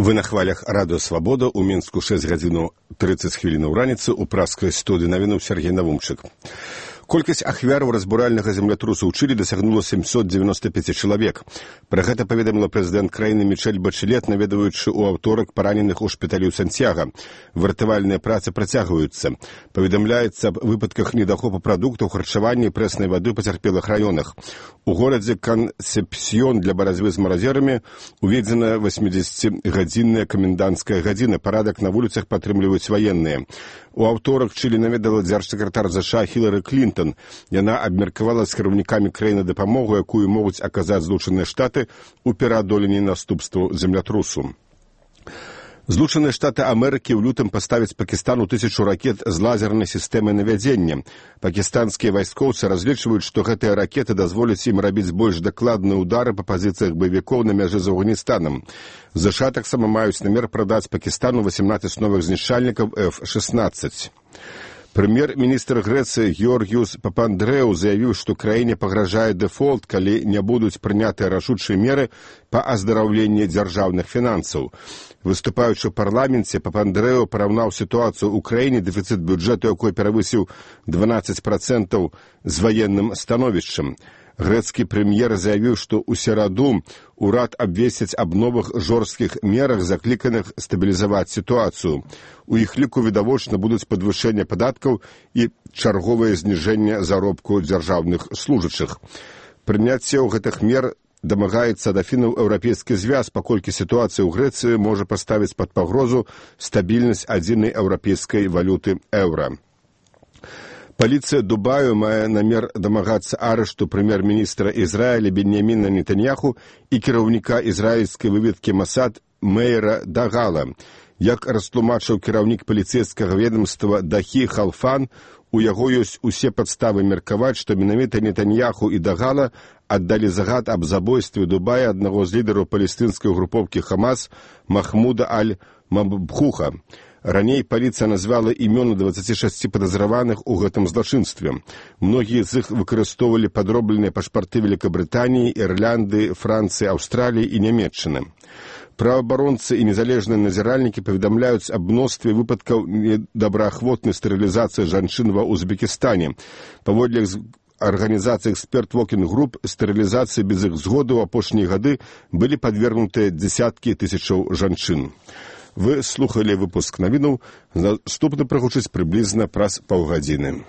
Вы на хвалях радыё «Свабода», у Мінску 6 гадзінаў 30 хвілінаў раніцы, у праскай студыі навінаў Сергей Навумчык. Колькасць ахвяраў разбуральнага землятрусу ў Чылі дасягнула 795 чалавек. Пра гэта паведаміла прэзідэнт краіны Мішэль Бачэлет, наведваючы ў аўторак параненых у шпіталі ў Сантьяга. Выратавальныя працы працягваюцца. Паведамляецца аб выпадках недахопу прадуктаў, харчавання і прэснай вады ў пацярпелых раёнах. У горадзе Кансепсьён для барацьбы з маразерамі уведзена 80-гадзінная каменданцкая гадзіна. Парадак на вуліцах падтрымліваюць ваенныя. У аўторак Чылі наведала дзяржсакратар ЗША Хілары Клінтон. Яна абмеркавала з кіраўнікамі краіны дапамогу, якую могуць аказаць Злучаныя Штаты ў пераадоленні наступстваў землятрусу. Злучаныя Штаты Амерыкі ў лютым паставяць Пакістану 1000 ракет з лазернай сістэмай навядзення. Пакістанскія вайскоўцы разлічваюць, што гэтыя ракеты дазволяць ім рабіць больш дакладныя ўдары па пазіцыях баевікоў на мяжы з Афганістанам. ЗША таксама маюць намер прадаць Пакістану 18 новых знішчальнікаў F-16. Прэм'ер-міністр Грэцыі Георгіус Папандрэу заявіў, што краіне пагражае дэфолт, калі не будуць прынятыя рашучыя меры па аздараўленні дзяржаўных фінансаў. Выступаючы ў парламенце, Папандрэу параўнаў сітуацыю ў краіне, дэфіцыт бюджэту якой перавысіў 12% з ваенным становішчам. Грэцкі прэм'ер заявіў, што ў сераду урад абвесціць аб новых жорсткіх мерах, закліканых стабілізаваць сітуацыю. У іх ліку відавочна будуць падвышэнне падаткаў і чарговае зніжэнне заробку дзяржаўных служачых. Прыняцце гэтых мер дамагаецца да фінаў Еўрапейскі звяз, паколькі сітуацыя ў Грэцыі можа паставіць пад пагрозу стабільнасць адзінай еўрапейскай валюты еўра. Паліцыя Дубаю мае намер дамагацца арышту прэм'ер-міністра Ізраіля Беньяміна Нетаньяху і кіраўніка ізраільскай выведкі Масад Мейра Дагала. Як растлумачыў кіраўнік паліцэйскага ведамства Дахі Халфан, у яго ёсць усе падставы меркаваць, што менавіта Нетаньяху і Дагала аддалі загад аб забойстве Дубая аднаго з лідараў палестынскай групоўкі Хамас Махмуда Аль-Мабхуха. Раней паліцыя назвала імёны 26 падазраваных у гэтым злачынстве. Многія з іх выкарыстоўвалі падробленыя пашпарты Великабрытаніі, Ірлянды, Францыі, Аўстраліі і Нямецчыны. Праваабаронцы і незалежныя назіральнікі паведамляюць аб мностве выпадкаў недобраахвотнай стэрылізацыі жанчын ва Узбекістане. Паводле арганізацыі «Эксперт Вокінг Груп», стэрылізацыі без іх згоды ў апошнія гады былі падвергнутыя дзесяткі тысячаў жанчын. Вы слухалі выпуск навінаў, наступны прагучыць прыблізна праз паўгадзіны.